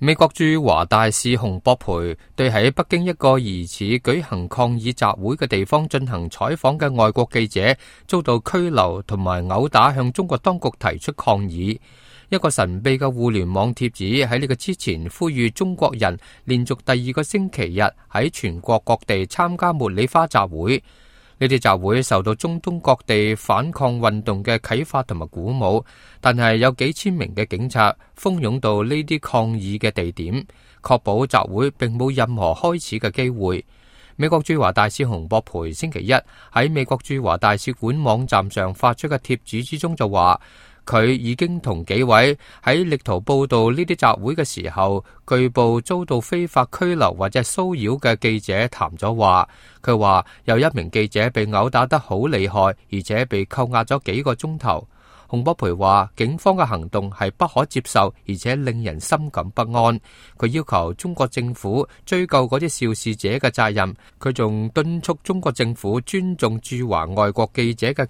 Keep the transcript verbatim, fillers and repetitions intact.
美國駐華大使洪博培對喺北京一個疑似舉行抗議集會嘅地方進行採訪嘅外國記者遭到拘留同埋毆打，向中國當局提出抗議。一個神秘嘅互聯網貼紙喺呢個之前呼籲中國人連續第二個星期日喺全國各地參加茉莉花集會。呢啲集會受到中東各地反抗運動嘅啟發同埋鼓舞，但係有幾千名嘅警察蜂擁到呢啲抗議嘅地點，確保集會並冇任何開始嘅機會。美國駐華大使洪博培星期一喺美國駐華大使館網站上發出嘅貼紙之中就話，佢已經同幾位喺力圖報道呢啲集會嘅時候據報遭到非法拘留或者騷擾嘅記者談咗話。佢話有一名記者被毆打得好厲害，而且被扣押咗幾個鐘頭。洪博培話警方嘅行動係不可接受，而且令人深感不安。佢要求中國政府追究嗰啲肇事者嘅責任。佢仲敦促中國政府尊重駐華外國記者嘅